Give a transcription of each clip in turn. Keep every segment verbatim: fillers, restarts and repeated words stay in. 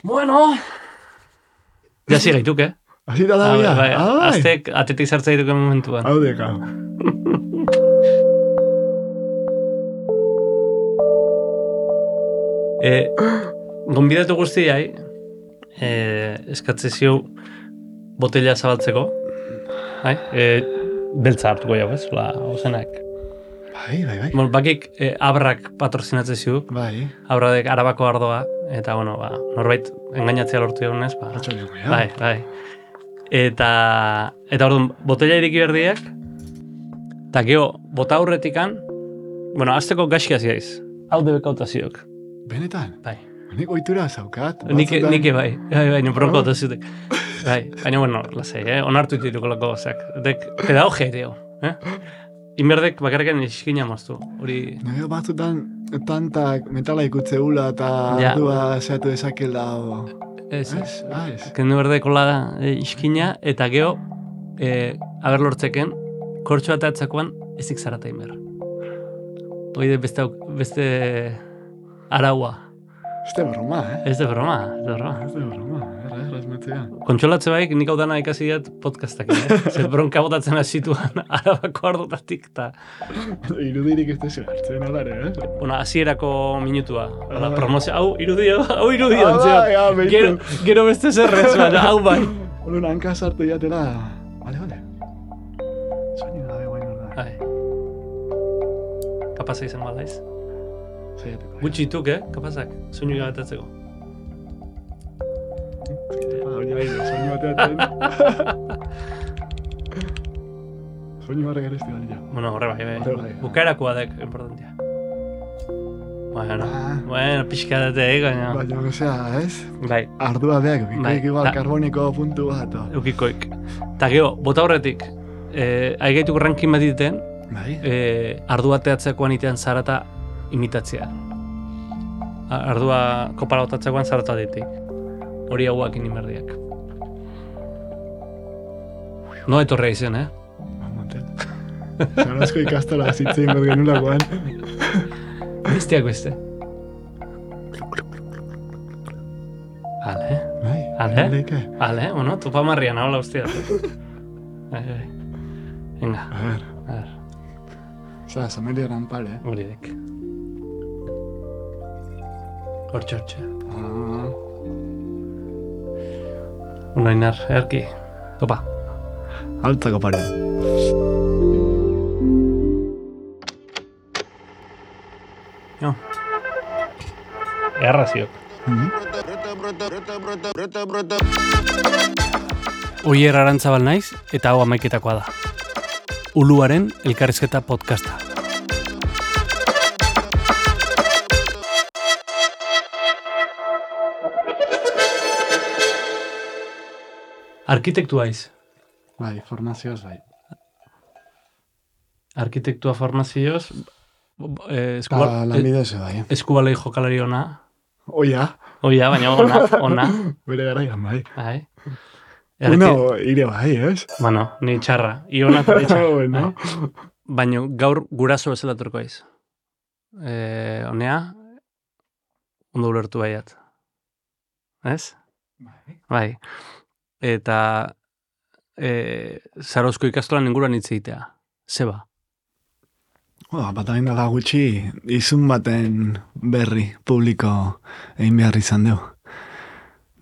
Bueno... Ja zigaituk, eh? Azita da bia? Bai, aztek atetik zartza dituken momentuan. Hau deka. E, gonbidatu guztiai, e, eskatze ziu botella zabaltzeko, bai? E, beltza hartuko jau, ez? La, ozenak. Bai, bai, bai. Bon, bakik e, abrak patrozinatze ziu, Bai. abradek arabako ardoa, eta, bueno, ba, norbait engainatzea lortu egunez, ba, Ratxolioko, ja. bai, bai. Eta, eta orduan, botella iriki berdiak, eta geho, bota aurretikan, bueno, azteko gaxkia ziaiz, hau debekautazioak. Benetan? Bai. Nik oitura zaukat. Nike, nike bai, bai, bai, nipronko otazutek. Bai, baina, bueno, lasei, eh? Onartu dituko lako gozak. Dek, pedagogia dio, eh? Inberdek bakarrekan iskina moztu, hori... Nire batzutan tantak metala ikutze hula eta Ja. ardua zeatu ezakela o... Ez, ez. Ez? Ah, ez. Kendu berdeko da e, iskina, eta geho, e, aber lortzeken, kortxo bat atzakoan ezik zarata inber. Hoi beste, auk- beste araua. Ez de broma, eh? Ez de broma, ez de broma. Ez de broma, erra, erra, esmetzea. Kontsolatze baik, nik hau dana ikasi diat podcastak, eh? Zer bronka botatzen hasituan arabako ardotatik, eta... Irudirik ez dezu hartzen alare, eh? Bueno, hasierako minutua. Hola, promozio, hau irudio, hau irudio. Ah, bai, ah, behitu. gero, gero beste zerrez, baina, hau bai. Holo hanka sartu jatela. Bale, bale. Soinu gabe guain orda. Bai. Kapasa izango alaiz. Zaiateko. Gutxituk, eh? Kapazak, soinu gabetatzeko. Hori bai, soinu bateatzen. Soinu barra gerezti balila. Bueno, horre bai, bai. Horre bai. Bukaerakoa dek, importantia. Bueno, Ah. bueno, pixka dute, eh, baina... Baina, osea, ez? Bai, Ardua beak, Bai, bikoik igual da- karboniko puntu bat. o. eukikoik. Ta geho, bota horretik, eh, aigaituko rankin bat diteten, Bai? eh, ardua teatzekoan itean zarata imitatzea. A- Ardua kopara botatzekoan zarata ditik. Hori hauak inimerdiak. No etorrea izen, eh? Montet. Zarazko ikastola zitzein bat genulakoan. Besteak beste. Ale, Bai, Ale? leike. ale, bueno, topa marrian, hola ustia. Bai, bai. Venga, A ver, a ver, oza, somelia rampal, eh? hori dek. Hortxe, hortxe. Ah, Unainar, erki. Topa. altzako pare. Jo. Erraziok. Mhm. Oier Arantzabal naiz, eta hau amaiketakoa da. Uluaren elkarrizketa podcasta. Arkitektua iz. Bai, formazioz, bai. Arkitektua formazioz, eh, Ta eskuba, lanbidez, bai. eskubalei jokalari ona. Oia, Oia, baina ona, ona. bere garaian, bai. Bai. Una ire bai, ez? Bueno, ni txarra. Iona eta ni txarra. Bueno. Baina gaur guraso bezala turko aiz. Eh, honea, ondo ulertu baiat. Ez? Bai. Bai. Eta eh, Zarauzko ikastolan inguruan hitz egitea. Zeba. Ba, bat hain dala gutxi, izun baten berri publiko egin behar izan dugu.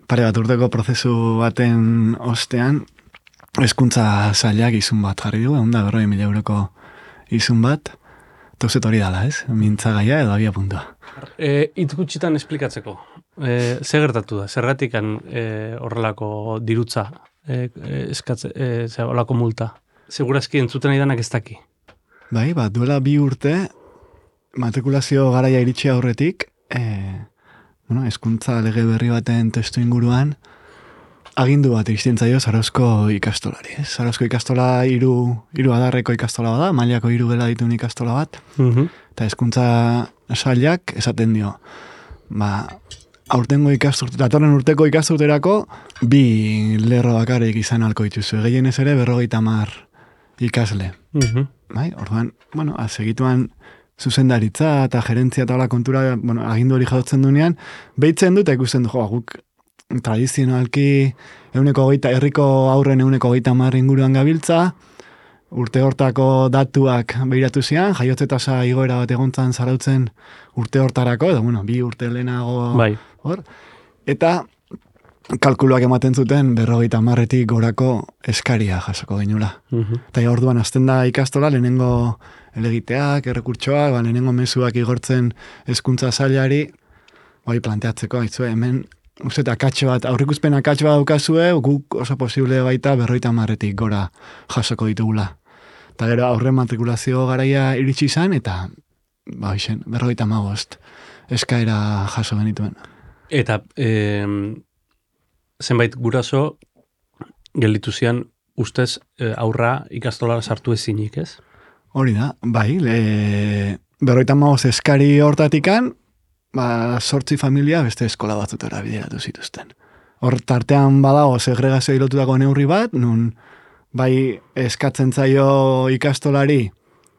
Pare bat urteko prozesu baten ostean, hezkuntza sailak izun bat jarri du, egun da berroi mila euroko izun bat, tauzet hori dala, ez? Mintzagaia edo abia puntua. E, hitz gutxitan esplikatzeko. E, ze gertatu da? Zergatikan e, horrelako dirutza e, e, eskatze, e, ze, horrelako multa? Segurazki entzuten idanak ez daki. Bai, bat duela bi urte, matrikulazio garaia iritsi aurretik, e, bueno, hezkuntza lege berri baten testu inguruan, agindu bat iristen zaio Zarauzko ikastolari, ez? Zarauzko ikastola hiru hiru adarreko ikastola bada, mailako hiru gela dituen ikastola bat, Mhm. eta hezkuntza sailak esaten dio, ba, aurtengo ikasturte, datorren urteko ikasturterako, bi lerro bakarrik izan alko dituzu, gehienez ere berrogeita hamar ikasle. Mhm. Bai, orduan, bueno, segituan zuzendaritza eta gerentzia eta hola kontura, bueno, agindu hori jadotzen duenean, behitzen dut eta ikusten du, jo, guk tradizionalki euneko hogeita, herriko aurren euneko hogeita hamar inguruan gabiltza, urte hortako datuak behiratu zian, jaiotze tasa igoera bat egontzan zarautzen urte hortarako, edo, bueno, bi urte lehenago bai. hor, eta kalkuluak ematen zuten berrogeita hamarretik gorako eskaria jasoko genula. Mhm. Eta orduan azten da ikastola, lehenengo elegiteak, errekurtsoak, ba, lehenengo mezuak igortzen hezkuntza sailari, bai planteatzeko, aitzue, hemen, uste, akatxe bat, aurrikuspen akatxe bat daukazue, guk oso posible baita berrogeita hamarretik gora jasoko ditugula. Eta gero aurren matrikulazio garaia iritsi izan, eta ba, isen, berrogeita hamabost eskaera jaso genituen. Eta eh, zenbait guraso gelditu zian ustez eh, aurra ikastolara sartu ezinik, ez? Hori da, bai, le, berrogeita hamabost eskari hortatikan, ba, sortzi familia beste eskola batzutera bideratu zituzten. Hor tartean badago segregazio lotutako neurri bat, nun bai eskatzen zaio ikastolari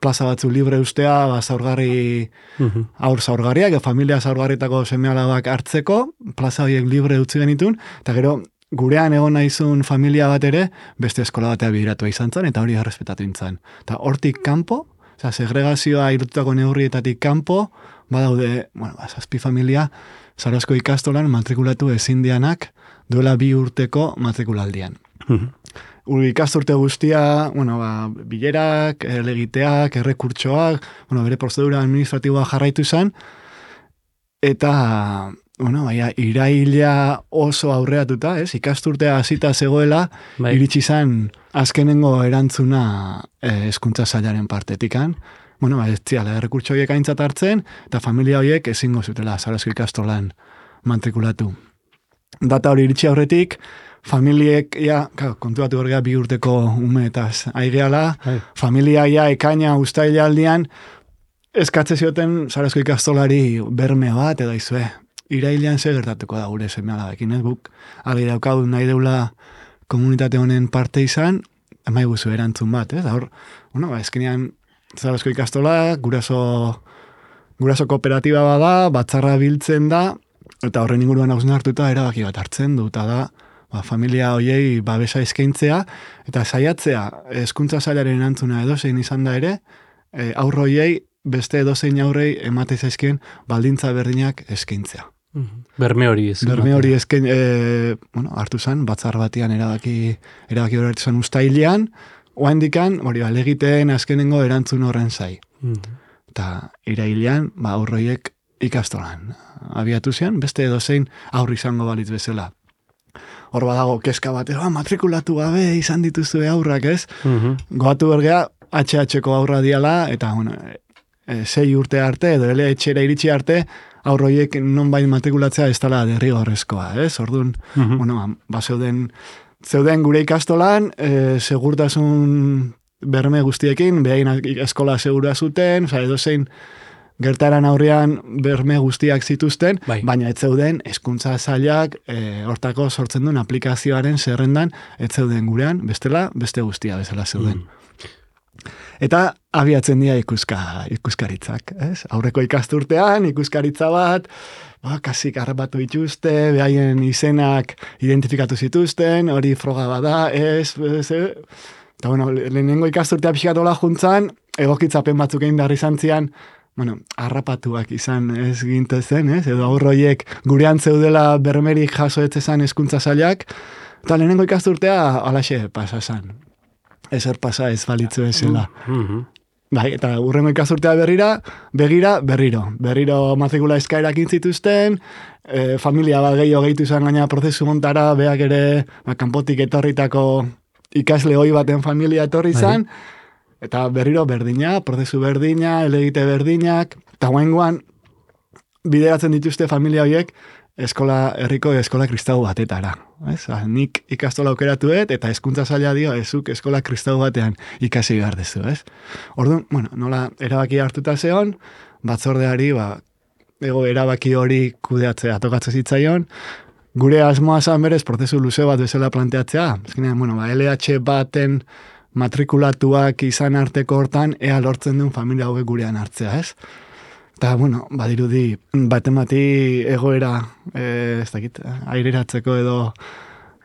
plaza batzu libre ustea, ba, zaurgarri, Mhm. aur zaurgarriak, familia zaurgarritako seme-alabak hartzeko, plaza horiek libre utzi genitun, eta gero gurean egon naizun familia bat ere, beste eskola batea bideratua izan zen, eta hori errespetatu intzan. Eta hortik kanpo, oza, segregazioa irututako neurrietatik kanpo, badaude, bueno, ba, zazpi familia, Zarauzko ikastolan matrikulatu ezin dianak duela bi urteko matrikulaldian. Mhm. Uri ikasturte guztia, bueno, ba, bilerak, elegiteak, errekurtsoak, bueno, bere prozedura administratiboa jarraitu izan, eta, bueno, baina, iraila oso aurreatuta, ez? Ikasturtea hasita zegoela, Bai. iritsi izan azkenengo erantzuna eh, hezkuntza sailaren partetikan. Bueno, ba, ez ziala, errekurtso horiek aintzat hartzen, eta familia horiek ezingo zutela Zarauzko ikastolan matrikulatu. Data hori iritsi aurretik, familiek, ja, claro, kontuatu horrega bi urteko umeetaz aigeala, Bai. familia ja ekaina ustaila aldian, eskatze zioten Zarauzko ikastolari berme bat, edo izue, irailean ze gertatuko da gure seme-alabekin, ez guk, argi daukadu nahi deula komunitate honen parte izan, emai guzu erantzun bat, ez? Da hor, bueno, ba, eskenean Zarauzko ikastola, guraso, guraso kooperatiba bada, batzarra biltzen da, eta horren inguruan hausen hartuta erabaki bat hartzen du, eta da, ba, familia hoiei babesa eskaintzea, eta saiatzea hezkuntza sailaren erantzuna edozein izan da ere, e, aurro hoiei beste edozein aurrei emate zaizkien baldintza berdinak eskaintzea. Mhm. Berme hori ez. Berme hori eskain, e, bueno, hartu zen, batzar batian erabaki, erabaki hori hartu zen ustailean, oandikan, hori ba, legiteen azkenengo erantzun horren zai. Mhm. Eta irailean, ba, aurroiek ikastolan abiatu zian, beste edozein aurri izango balitz bezala. Hor badago, keska bat, ah, matrikulatu gabe izan dituzue aurrak, ez? Mhm. Goatu bergea, H H-ko aurra diala, eta, bueno, e, sei urte arte, edo ele etxera iritsi arte, aurroiek nonbait matrikulatzea ez dela derrigorrezkoa, ez? Orduan, Mhm. bueno, ba, zeuden, zeuden gure ikastolan, e, segurtasun berme guztiekin, behain eskola segura zuten, oza, edozein gertaran aurrean berme guztiak zituzten, Bai. baina ez zeuden hezkuntza sailak e, hortako sortzen duen aplikazioaren zerrendan ez zeuden gurean, bestela, beste guztia bezala zeuden. Mhm. Eta abiatzen dira ikuska, ikuskaritzak, ez? Aurreko ikasturtean, ikuskaritza bat, ba, kasik harrapatu dituzte, behaien izenak identifikatu zituzten, hori froga bada, ez, ez, ez. Eta, bueno, lehenengo ikasturtea pixkatola juntzan, egokitzapen batzuk egin behar izan zian, bueno, harrapatuak izan ez gintezen, ez? Edo aurroiek gurean zeudela bermerik jaso etzezan hezkuntza sailak, eta lehenengo ikasturtea alaxe pasa zan. Ezer pasa ez balitzu ezela. Mhm. Bai, eta urrengo ikasturtea berrira, begira, berriro. Berriro matrikula eskaerak intzituzten, e, familia bat gehiago gehitu izan gaina prozesu montara, beak ere, ba, kanpotik etorritako ikasle hoi baten familia etorri izan, eta berriro berdina, prozesu berdina, elegite berdinak, eta guaingoan bideratzen dituzte familia horiek eskola herriko eskola kristau batetara. Ez? Ah, nik ikastola aukeratu dut, eta hezkuntza saila dio, ezuk eskola kristau batean ikasi behar dezu, ez? Orduan, bueno, nola erabaki hartuta zeon, batzordeari, ba, ego erabaki hori kudeatzea tokatzen zitzaion, gure asmoa zan berez, prozesu luze bat bezala planteatzea, ezkenean, bueno, ba, L H baten matrikulatuak izan arteko hortan, ea lortzen duen familia hauek gurean hartzea, ez? Eta, bueno, badirudi, baten bati egoera, e, ez dakit, aireratzeko edo,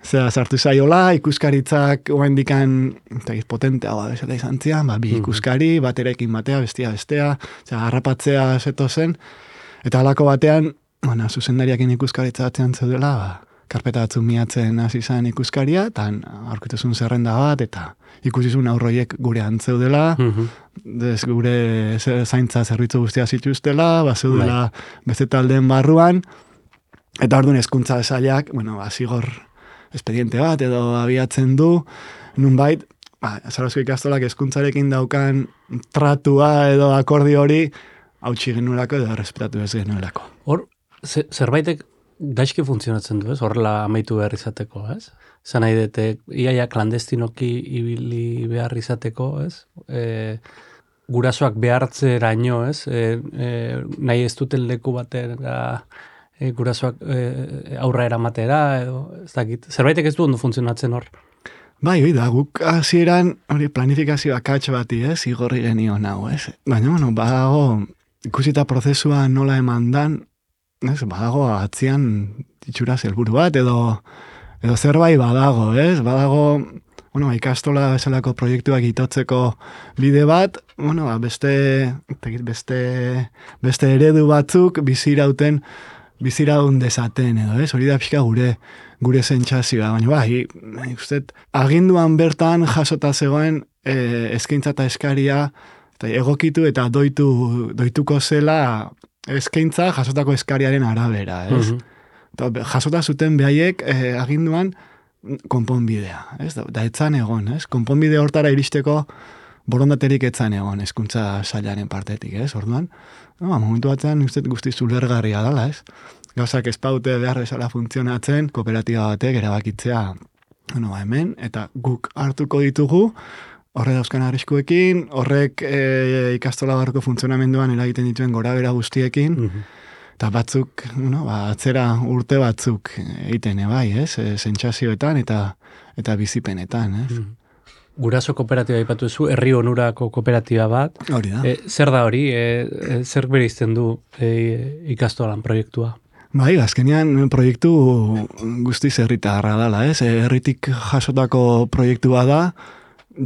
zera, sartu zaiola, ikuskaritzak oendikan, ez dakit, potenteagoa bezala izan zian, ba, bi ikuskari, baterekin batea, bestia bestea, zera, harrapatzea zeto zen, eta halako batean, bueno, zuzendariakin ikuskaritza atzean zeudela, ba, karpeta batzuk miatzen hasi zen ikuskaria, eta aurkituzun zerrenda bat, eta ikusizun aurroiek gure antzeudela, mm-hmm. Des, gure zaintza zerbitzu guztia zituztela, bazeudela beste taldeen barruan, eta orduan hezkuntza sailak, bueno, ba, zigor espediente bat edo abiatzen du, nunbait, ba, Zarauzko ikastolak hezkuntzarekin daukan tratua edo akordio hori, hautsi genuelako edo errespetatu ez genuelako. Hor, zerbaitek gaizki funtzionatzen du, ez? Horrela amaitu behar izateko, ez? Zan nahi dute, iaia klandestinoki ibili behar izateko, ez? E, gurasoak behartzeraino, ez? E, e, nahi ez duten leku batera e, gurasoak e, aurra eramatera, edo, ez dakit. Zerbaitek ez du ondo funtzionatzen hor? Bai, oi da, guk hasieran hori planifikazio akats bati, ez? Igorri genion hau, ez? Baina, bueno, badago, ikusita prozesua nola eman dan, ez, badago atzian itxuraz helburu bat, edo, edo zerbait badago, ez? Badago, bueno, ikastola bezalako proiektuak itotzeko bide bat, bueno, beste, beste, beste eredu batzuk bizirauten, biziraun dezaten, edo, ez? Hori da pixka gure, gure sentsazioa, baina bai, usted, aginduan bertan jasota zegoen e, eskaintza eta eskaria, eta egokitu eta doitu, doituko zela eskaintza jasotako eskariaren arabera, ez? Mm-hmm. Jasota zuten behaiek eh, aginduan konponbidea, ez? Da, da etzan egon, ez? Konponbide hortara iristeko borondaterik etzan egon hezkuntza sailaren partetik, ez? Orduan, no, momentu batean uste guzti zulergarria dela, ez? Gauzak espaute behar bezala funtzionatzen, kooperatiba batek erabakitzea, bueno, hemen, eta guk hartuko ditugu, horre dauzkan arriskuekin, horrek e, ikastola barruko funtzionamenduan eragiten dituen gora bera guztiekin, mm-hmm. eta batzuk, bueno, ba, atzera urte batzuk egiten, bai, ez? E, sentsazioetan eta eta bizipenetan, ez? Mm-hmm. Guraso kooperatiba aipatu zu, herri onurako kooperatiba bat. Hori da. E, zer da hori? E, zer bereizten du e, ikastolan proiektua? Bai, azkenean proiektu guztiz herritarra dela, ez? E, herritik jasotako proiektua da,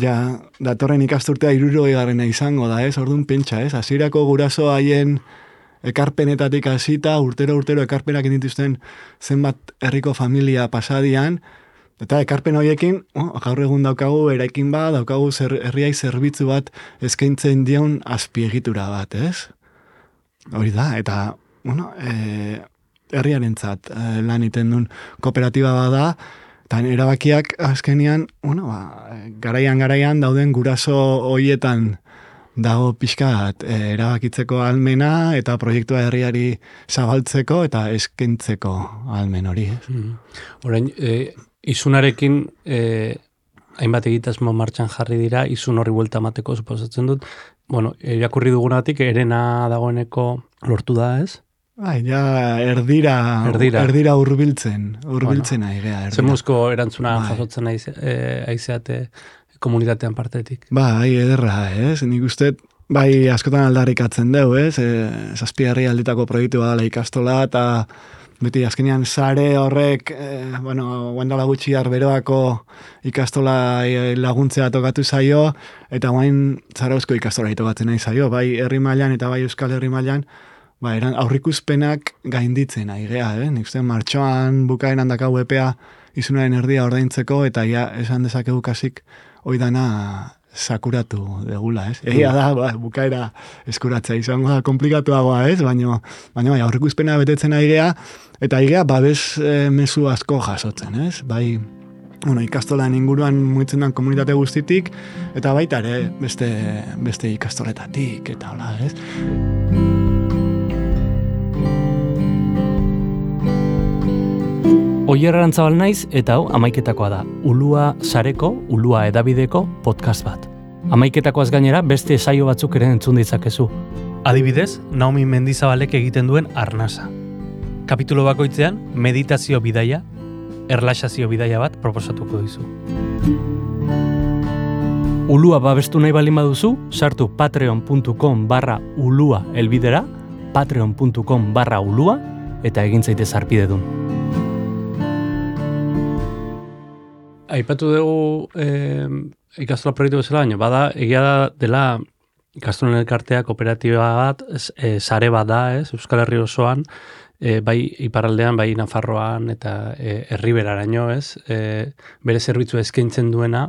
ja, datorren ikasturtea hirurogei garrena izango da, ez? Orduan pentsa, ez? Hasierako guraso haien ekarpenetatik hasita, urtero urtero ekarpenak dituzten zenbat herriko familia pasadian, eta ekarpen horiekin, oh, gaur egun daukagu eraikin bat, daukagu zer, herriai zerbitzu bat eskaintzen dion azpiegitura bat, ez? Hori da, eta, bueno, e, herriarentzat e, lan iten duen kooperatiba bada, eta erabakiak azkenean, bueno, ba, garaian-garaian dauden guraso hoietan dago pixkat e, erabakitzeko almena eta proiektua herriari zabaltzeko eta eskaintzeko almen hori. Mm. Orain, e, izunarekin e, hainbat egitasmo martxan jarri dira, izun horri buelta mateko suposatzen dut. Bueno, irakurri dugunatik, erena dagoeneko lortu da, ez? Bai, ja, erdira, erdira, erdira urbiltzen, urbiltzen bueno, aigea. Zemuzko erantzuna bai. Jasotzen aizeate komunitatean partetik. Bai, ederra, ez? Nik uste, bai, askotan aldarrikatzen deu, ez? E, zazpi herri aldetako proiektu badala ikastola, eta beti azkenean sare horrek, e, bueno, guendala gutxi arberoako ikastola laguntzea tokatu zaio, eta guain Zarauzko ikastola tokatzen nahi zaio, bai herri mailan eta bai Euskal Herri mailan, ba, eran aurrikuspenak gainditzen aigea, eh? Nik uste martxoan bukaeran dakau epea izunaren erdia ordaintzeko, eta ja, esan dezakegu kasik oidana sakuratu degula, ez? Egia da, ba, bukaera eskuratzea izango da komplikatuagoa, ez? Baina, baina bai, aurrikuspena betetzen aigea, eta aigea babes e, mezu asko jasotzen, ez? Bai, bueno, ikastolan inguruan mugitzen den komunitate guztitik, eta baita ere beste, beste ikastoletatik, eta hola, ez? Oier Arantzabal naiz, eta hau amaiketakoa da. Ulua sareko, Ulua edabideko podcast bat. Amaiketakoaz gainera beste saio batzuk ere entzun ditzakezu. Adibidez, Naomi Mendizabalek egiten duen Arnasa. Kapitulo bakoitzean, meditazio bidaia, erlaxazio bidaia bat proposatuko dizu. Ulua babestu nahi balin baduzu, sartu patreon puntu com barra ulua elbidera, patreon puntu com barra ulua eta egin zaitez arpidedun. Aipatu dugu eh, ikastola proiektu bezala, baina bada, egia da dela ikastolen elkartea kooperatiba bat, e, sare bat da, ez, Euskal Herri osoan, e, bai iparraldean, bai Nafarroan eta e, Erriberaraino, ez, e, bere zerbitzu eskaintzen duena,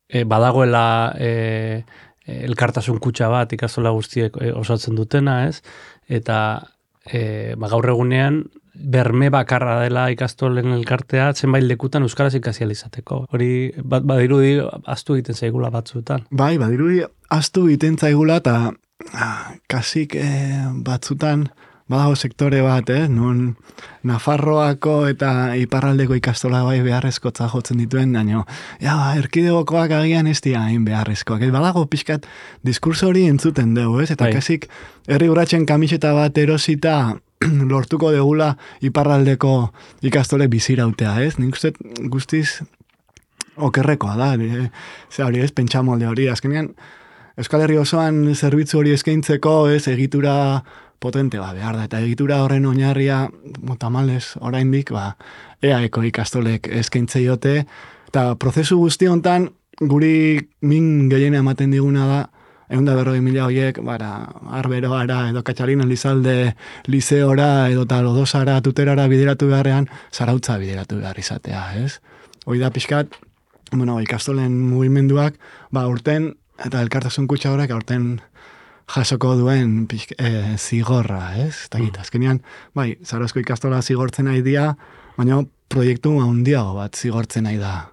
e, badagoela e, elkartasun kutxa bat ikastola guztiek e, osatzen dutena, ez, eta e, ba, gaur egunean berme bakarra dela ikastolen elkartea zenbait lekutan euskaraz ikasi ahal izateko. Hori bat badirudi ahaztu egiten zaigula batzuetan. Bai, badirudi ahaztu egiten zaigula eta ah, kasik eh, batzutan badago sektore bat, eh, nun Nafarroako eta iparraldeko ikastola bai beharrezkotza jotzen dituen, baina ja, erkidegokoak agian ez dira hain beharrezkoak. Ez badago pixkat diskurso hori entzuten dugu, ez? Eta bai. kasik herri urratsen kamiseta bat erosita lortuko degula iparraldeko ikastole bizirautea, ez? Nik uste guztiz okerrekoa da, e, ze hori ez, pentsamolde hori. Azkenean, Euskal Herri osoan zerbitzu hori eskaintzeko, ez, egitura potente ba, behar da, eta egitura horren oinarria, tamalez, oraindik, ba, eaeko ikastolek eskaintzeiote, eta prozesu guzti hontan, guri min gehiena ematen diguna da, egun da berroi mila horiek, bara, arberoara, edo Katxalin Elizalde liseora, edo talodosara, tuterara bideratu beharrean, zarautza bideratu behar izatea, ez? Hoi da pixkat, bueno, ikastolen mugimenduak, ba, urten, eta elkartasun kutxa horrek, urten jasoko duen pixk, e, zigorra, ez? Eta gita, azkenean, bai, Zarozko ikastola zigortzen nahi dia, baina proiektu handiago bat zigortzen nahi da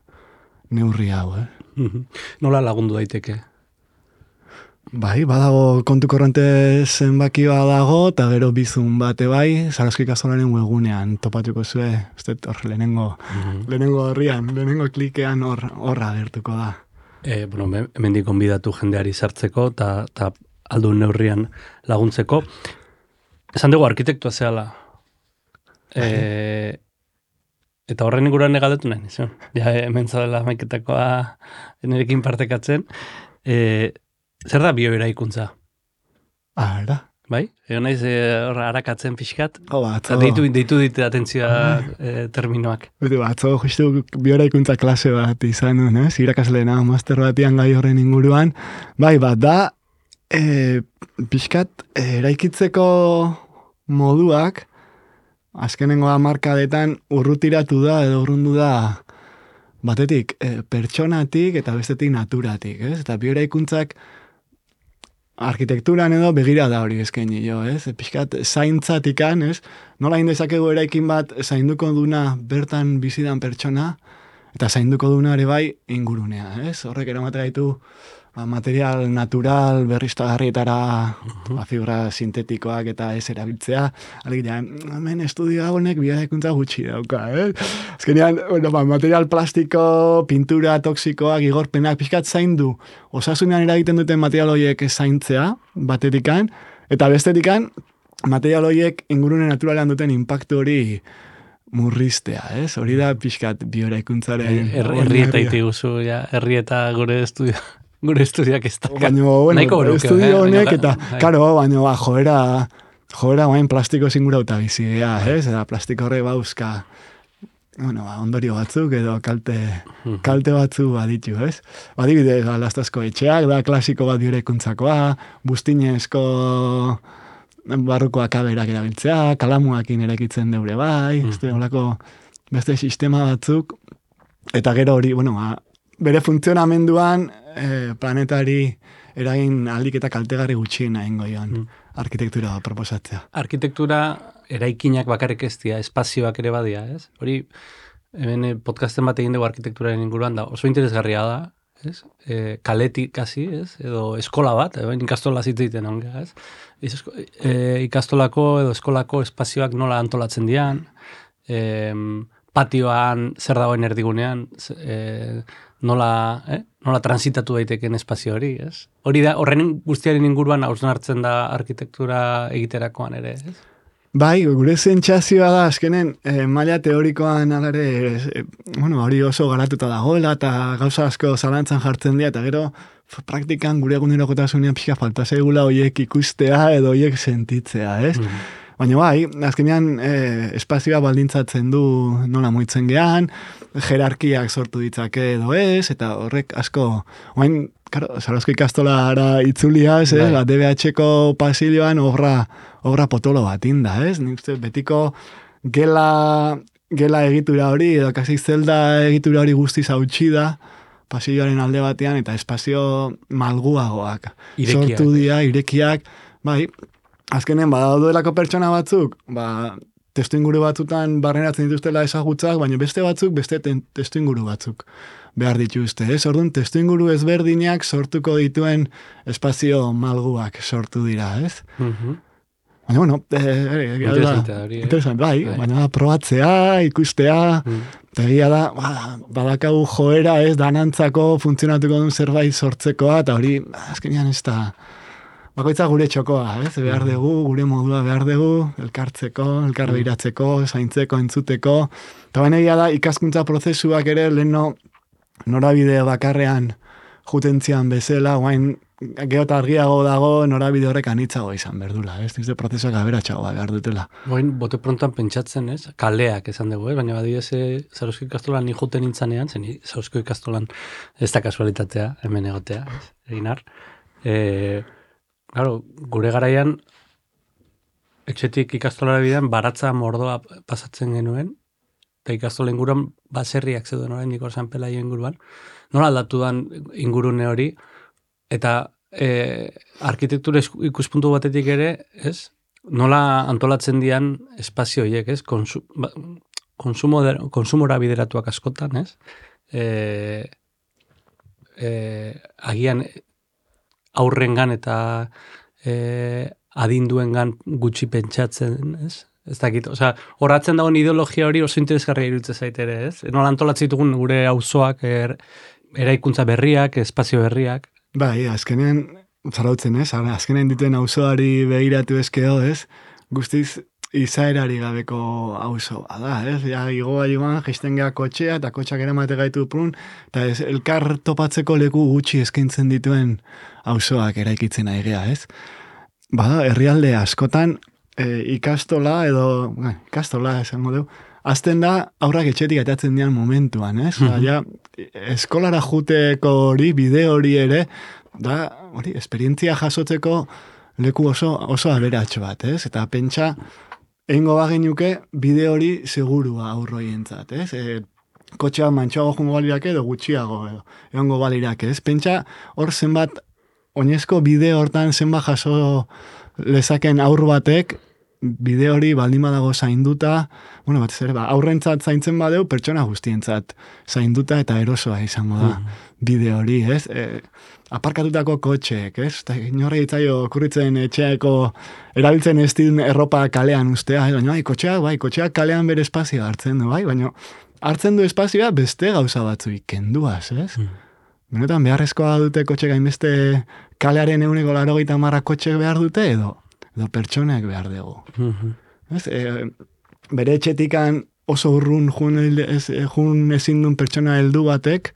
neurri hau, eh? Nola lagundu daiteke? Bai, badago kontu korronte zenbakioa dago, eta gero bizun bate bai, Zarozko ikastolaren webgunean topatuko zue, uste hor lehenengo, mm-hmm. lehenengo horrian, lehenengo klikean hor, horra agertuko da. E, bueno, hemendik gonbidatu jendeari sartzeko, eta aldun neurrian laguntzeko. Esan dugu arkitektua zehala. E, eta horren inguruan negadetu nahi, nizun. Ja, hemen zaudela maiketakoa nerekin partekatzen. E, Zer da bioeraikuntza? Ah, era? Bai? Ego naiz e, harakatzen pixkat? Oh, batzo. Deitu, deitu dite atentzioa e, terminoak. Bete, batzo, justu bioeraikuntza klase bat izan nuen, ez? Irakasleena, master batian gai horren inguruan. Bai, bat da, e, pixkat e, eraikitzeko moduak, azkenengo hamarkadetan urrutiratu da, edo urrundu da, batetik, e, pertsonatik eta bestetik naturatik, ez? Eta bioeraikuntzak arkitekturan edo begira da hori eskaini jo, ez? Pixkat zaintzatikan, ez? Nola indezakegu eraikin bat zainduko duna bertan bizidan pertsona, eta zainduko duna ere bai ingurunea, ez? Horrek eramate gaitu ba, material natural berriztagarrietara uh-huh. ba, fibra sintetikoak eta ez erabiltzea. Alegia, hemen estudio honek bioeraikuntza gutxi dauka, eh? Azkenean, bueno, ba, material plastiko, pintura toksikoak, igorpenak, pixkat zaindu, osasunean eragiten duten material horiek zaintzea, batetikan, eta bestetikan, material horiek ingurune naturalean duten impactu hori murriztea, ez? Hori da pixkat bioeraikuntzaren... Herri eta iti guzu, ja, herri eta gure estudio... Gure estudioak ez da. Baina, bueno, estudio honek, eta, karo, baina, ba, joera, joera, bain, plastiko zingura uta bizia, ez? Eta plastiko horre bauzka, bueno, ba, ondorio batzuk, edo kalte, kalte batzu baditu, ez? Badibidez, ba, lastazko etxeak, da, klasiko bat bioeraikuntzakoa, bustinezko barruko akaberak erabiltzea, kalamuakin erakitzen deure bai, mm. ez olako beste sistema batzuk, eta gero hori, bueno, ba, bere funtzionamenduan eh, planetari eragin aldik eta kaltegarri gutxien egingo joan mm. arkitektura proposatzea. Arkitektura eraikinak bakarrik ez dira, espazioak ere badia, ez? Hori, hemen podcasten bat egin dugu arkitekturaren inguruan da, oso interesgarria da, ez? E, kaletik kasi, ez? Edo eskola bat, edo ikastola zitzeiten onga, ez? E, ikastolako edo eskolako espazioak nola antolatzen dian, e, patioan zer dagoen erdigunean, e, nola, eh? nola transitatu daiteken espazio hori, ez? Hori da, horren guztiaren inguruan hausnartzen da arkitektura egiterakoan ere, ez? Bai, gure sentsazioa da, azkenen, eh, maila teorikoan alare, eh, bueno, hori oso garatuta dagoela, eta gauza asko zalantzan jartzen dira, eta gero, praktikan gure egunerokotasunean pixka falta zaigula hoiek ikustea edo hoiek sentitzea, ez? Mm. Baina bai, azkenean eh, espazioa baldintzatzen du nola muitzen gehan, jerarkiak sortu ditzake edo ez, eta horrek asko, oain, karo, Zarauzko ikastolara itzuliaz, eh? Ba, D B H-ko pasilloan obra, obra potolo bat inda, ez? Nik uste betiko gela, gela egitura hori, edo kasi zelda egitura hori guztiz hautsi da, pasilloaren alde batean, eta espazio malguagoak. Irekiak. Sortu dira, irekiak, bai, azkenen, badaudelako pertsona batzuk, ba, testu inguru batzutan barreratzen dituztela ezagutzak, baina beste batzuk, beste testu inguru batzuk behar dituzte, ez? Orduan, testu inguru ezberdinak sortuko dituen espazio malguak sortu dira, ez? Mhm. Baina, bueno, eh, interesante, hori, eh? interesante, bai, Bai. baina probatzea, ikustea, Mm. eta egia da, ba, badakagu joera, ez, danantzako funtzionatuko duen zerbait sortzekoa, eta hori, azkenean ez da, bakoitza gure txokoa, ez? Behar dugu, gure modua behar dugu, elkartzeko, elkar behiratzeko, zaintzeko, entzuteko. Eta baina egia da, ikaskuntza prozesuak ere, leheno norabide bakarrean jutentzian bezala, guain geota argiago dago, norabide horrek anitzago izan berdula, ez? Dizte prozesuak aberatxagoa behar dutela. Oain, bote prontan pentsatzen, ez? Kaleak esan dugu, eh? Baina badidez, Zarauzko ikastolan ni juten nintzanean, zen Zarauzko ikastolan ez da kasualitatea, hemen egotea, ez? Eginar. Eh, Claro, gure garaian, etxetik ikastolara bidean, baratza mordoa pasatzen genuen, eta ikastola inguruan baserriak zeuden orain Nikor San Pelaio inguruan. Nola aldatu dan ingurune hori, eta e, arkitektura ikuspuntu batetik ere, ez? Nola antolatzen dian espazio horiek, ez? Konsu, ba, konsumo, konsumora bideratuak askotan, ez? E, e, agian aurrengan eta e, adinduengan gutxi pentsatzen, ez? Ez dakit, osea, horatzen dagoen ideologia hori oso interesgarria iruditzen zait ere, ez? Nola antolatzen ditugun gure auzoak, er, eraikuntza berriak, espazio berriak. Bai, azkenean, zarautzen, ez? Azkenean dituen auzoari begiratu ezkeo, ez? Guztiz izaerari gabeko auzo da, ez? Ja, igoa joan, jaisten geha kotxea, eta kotxak eramate gaitu prun, eta ez, elkar topatzeko leku gutxi eskaintzen dituen auzoak eraikitzen ari gea, ez? Bada, herrialde askotan, e, ikastola edo, eh, ikastola esango dugu, azten da, aurrak etxetik atatzen dian momentuan, ez? Mm-hmm. Ja, eskolara juteko hori, bide hori ere, da, hori, esperientzia jasotzeko leku oso, oso aberatxo bat, ez? Eta pentsa, egingo bagenuke bide hori segurua aurroientzat, ez? E, kotxea mantxoago jungo balirak edo gutxiago edo, egongo balirak, ez? Pentsa, hor zenbat, oinezko bide hortan zenbat jaso lezaken aur batek, bide hori baldin badago zainduta, bueno, batez ere, ba, aurrentzat zaintzen badeu, pertsona guztientzat zainduta eta erosoa izango da bide hori, ez? E, aparkatutako kotxeek, ez? Eta inorri itzaio okurritzen etxeako erabiltzen ez din erropa kalean ustea, ez? Baina, bai, kotxeak, bai, kotxeak kalean bere espazioa hartzen du, bai? Baina, hartzen du espazioa beste gauza batzuik kenduaz, ez? Mm. Benetan, beharrezkoa dute kotxek hainbeste kalearen eguneko larogeita marra kotxek behar dute, edo, edo pertsonek behar dugu. Mm-hmm. Ez? E, bere etxetikan oso urrun jun, ez, jun ezin duen pertsona heldu batek,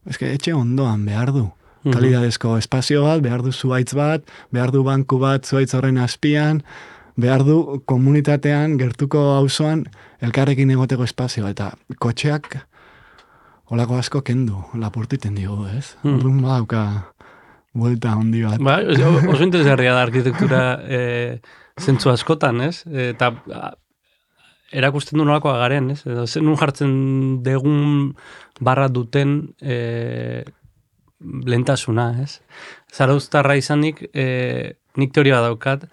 ezke etxe ondoan behar du. Mm-hmm. Kalidadezko espazio bat, behar du zuaitz bat, behar du banku bat zuaitz horren azpian, behar du komunitatean, gertuko auzoan elkarrekin egoteko espazio, eta kotxeak holako asko kendu, lapurtiten digu, ez? Mm. Orduan badauka buelta handi bat. Ba, oso interesgarria da arkitektura e, zentzu askotan, ez? Eta erakusten du nolakoa garen, ez? Edo, nun jartzen degun barra duten e, lentasuna, ez? Zarauztarra izanik, e, nik teoria daukat,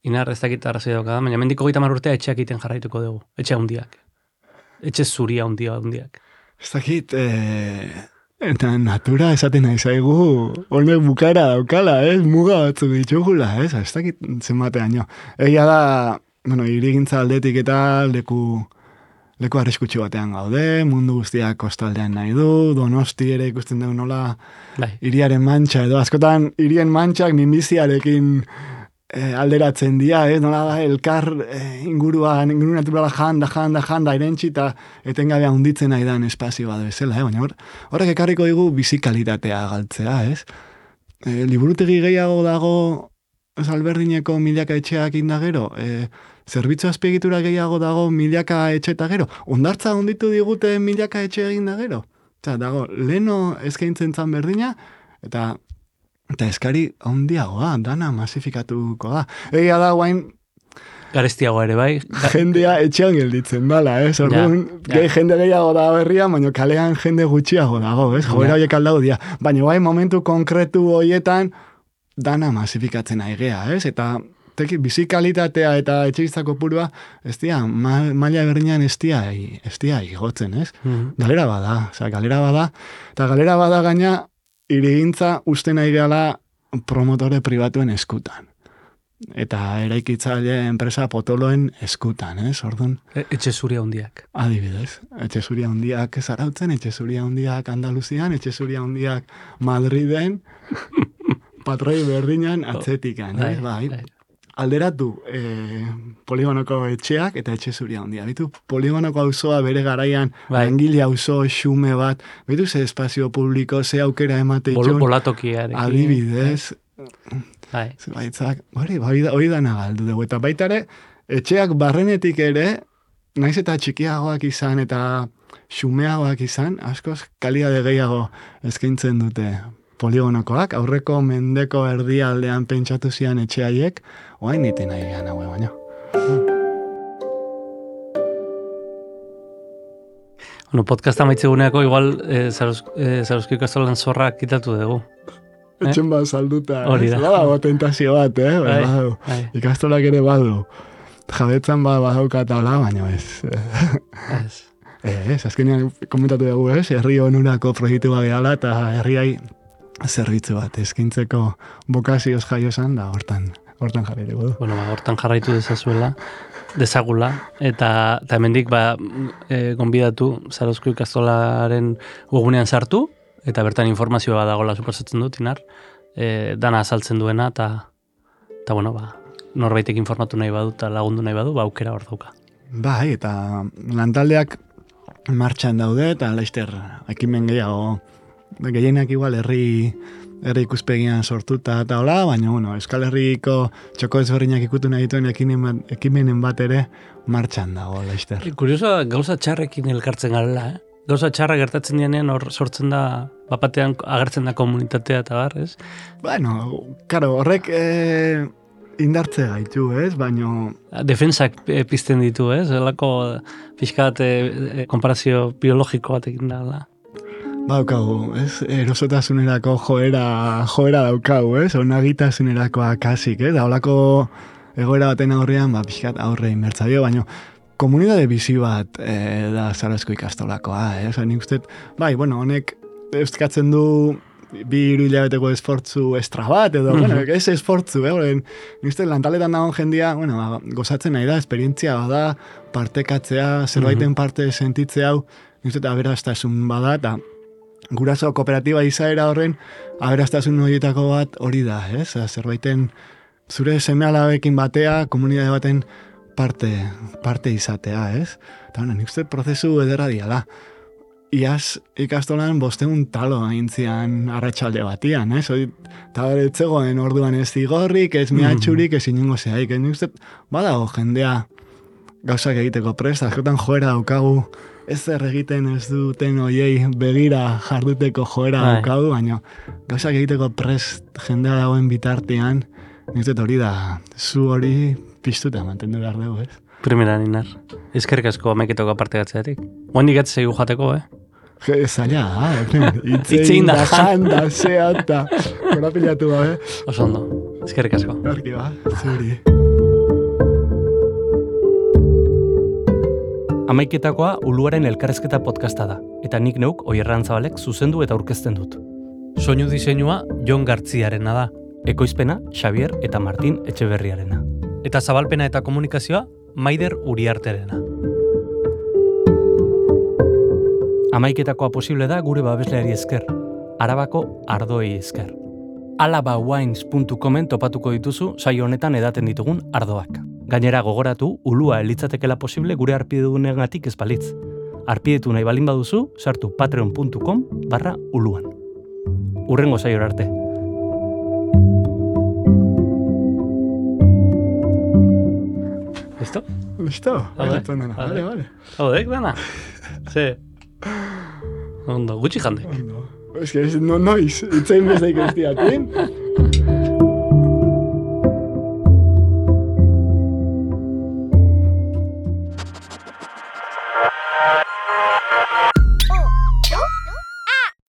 inar ez dakit arrazoi daukat, baina mendiko gita marurtea etxeak iten jarraituko dugu, etxe handiak. Etxe zuria handia handiak. Ez dakit, e, eta natura esaten nahi zaigu, honek bukaera daukala, ez? Muga batzuk ditugula, ez? Ez dakit zenbatean jo. Egia da, bueno, irigintza aldetik eta leku, leku arriskutsu batean gaude, mundu guztiak kostaldean nahi du, Donosti ere ikusten dugu nola, bai. Hiriaren mantxa, edo askotan hirien mantxak minbiziarekin e, alderatzen dira, ez, nola da, elkar e, inguruan, inguru naturala janda, janda, janda, irentxi, eta etengabe handitzen nahi dan espazio bat bezala, eh? Baina hor, horrek ekarriko digu bizikalitatea galtzea, ez? E, liburutegi gehiago dago, ez alberdineko milaka etxeak indagero, e, zerbitzu azpiegitura gehiago dago milaka etxe eta gero, ondartza onditu digute milaka etxe egin da gero. Eta dago, leno eskaintzen zan berdina, eta Eta eskari handiagoa, dana masifikatuko da. Egia da, guain... Garestiago ere, bai? Jendea etxean gelditzen dala, ez? Eh? Orduan, ja, ja. Jende gehiago da berria, baina kalean jende gutxiago dago, ez? Joera horiek aldau dia. Baina guain momentu konkretu horietan, dana masifikatzen aigea, ez? Eta teki, bizikalitatea eta etxeizako purua, ez dia, ma, maila berdinean ez dia, ez dia igotzen, ez? Mm-hmm. Galera bada, oza, galera bada, eta galera bada gaina, irigintza uste nahi gala promotore pribatuen eskutan. Eta eraikitzaile enpresa potoloen eskutan, ez? Orduan. E, etxe zuria hundiak. Adibidez. Etxe zuria hundiak Zarautzen, etxe zuria hundiak Andaluzian, etxe zuria hundiak Madriden, patroi berdinan atzetikan, ez? Bai. bai. Alderatu eh, poligonoko etxeak eta etxe zuria hundia. Bitu, poligonoko auzoa bere garaian bai. Langile auzo xume bat, bitu ze espazio publiko, ze aukera emate itxun. Bol, bolatokiarekin. Adibidez. Bai. Baitzak, hori, hori da nagaldu dugu. Eta baitare, etxeak barrenetik ere, naiz eta txikiagoak izan eta xumeagoak izan, askoz kalidade gehiago eskaintzen dute poligonokoak, aurreko mendeko erdialdean pentsatu zian etxeaiek, oain iten nahi gehan haue baino. Bueno, podcasta maitzeguneako igual eh, Zaruzko ikastolan zorra kitatu dugu. Eh? Etxen bat salduta, hori da. Bada, tentazio bat, eh? Bai, badu. Bai. Ikastolak ere badu. Jabetzan bat badauka taula, baina ez. Ez. Ez, azkenean komentatu dugu, ez? Herri onurako proiektu bat gehala eta herriai zerbitzu bat eskaintzeko bokazioz jaio esan da hortan, hortan jarri dugu. Bueno, ba, hortan jarraitu dezazuela, dezagula, eta, eta hemendik ba, e, gonbidatu Zaruzko ikastolaren webgunean sartu, eta bertan informazioa dagoela suposatzen dut, inar, e, dana azaltzen duena, eta, eta bueno, ba, norbaitek informatu nahi badu, eta lagundu nahi badu, ba, aukera hor dauka. Bai, eta lantaldeak martxan daude, eta laizter, ekimen gehiago, gehienak igual herri, herri ikuspegian sortuta eta hola, baina bueno, Euskal Herriko txoko ezberdinak ikutu nahi dituen ekimenen bat ere martxan dago, laizter. Kurioso, gauza txarrekin elkartzen garela, eh? Gauza txarra gertatzen dianean hor sortzen da, bapatean agertzen da komunitatea eta bar, ez? Bueno, karo, horrek eh, indartze gaitu, ez? Baino... Defensak pizten ditu, ez? Elako pixkat eh, konparazio biologiko batekin da. Daukagu, ez? Erosotasunerako joera, joera daukagu, ez? Onagitasunerako akasik, ez? Da, holako egoera baten aurrean, ba, pixkat aurre inbertzaio, baina komunitate bizi bat e, da Zaruzko ikastolakoa, ez? Nik uste, bai, bueno, honek euskatzen du bi hiru hilabeteko esfortzu estra bat, edo, mm-hmm. bueno, ez esfortzu, eh? Nik uste, lantaletan dagoen jendia, bueno, ba, gozatzen nahi da, esperientzia bada, partekatzea, zerbaiten mm-hmm. parte sentitzea hau, nik uste, aberastasun bada, eta guraso kooperatiba izaera horren, aberastasun horietako bat hori da, ez? Zerbaiten zure seme-alabekin batea, komunitate baten parte, parte izatea, ez? Eta bueno, nik uste prozesu ederra diala. Iaz ikastolan bosteun talo aintzian arratsalde batian, ez? Eta bere etzegoen orduan ez zigorrik, ez mehatxurik, ez inungo zehaik. Nik uste badago jendea gauzak egiteko prest, askotan joera daukagu, ez zer egiten ez duten oiei begira jarduteko joera daukagu, baina gauzak egiteko prest jendea dagoen bitartean, nik dut hori da, zu hori piztuta mantendu behar dugu, ez? Primera ninar, ezkerrik asko amaiketoko parte gatzeatik. Oandik gatzegu jateko, eh? Zaila, itzein da janda, zea, eta korapilatu ba, eh? Oso ondo, ezkerrik asko. Arki ba, zuri. Amaiketakoa Uluaren elkarrezketa podcasta da, eta nik neuk Oierran Zabalek zuzendu eta aurkezten dut. Soinu diseinua Jon Gartziarena da. Ekoizpena Xavier eta Martin Etxeberriarena. Eta zabalpena eta komunikazioa Maider Uriarterena. Amaiketakoa posible da gure babesleari esker, Arabako ardoei esker. alabawines puntu comen topatuko dituzu saio honetan edaten ditugun ardoak. Gainera gogoratu, ulua elitzatekela posible gure arpidedunegatik ez balitz. Arpidetu nahi balin baduzu, sartu patreon puntu com barra uluan. Urrengo saiora arte. Listo? Listo? Vale, Vale, vale, vale. Hau dek, dana? Ze. Ondo, gutxi jandek. Ondo. Es que no noiz, itzein bezaik ez diatin.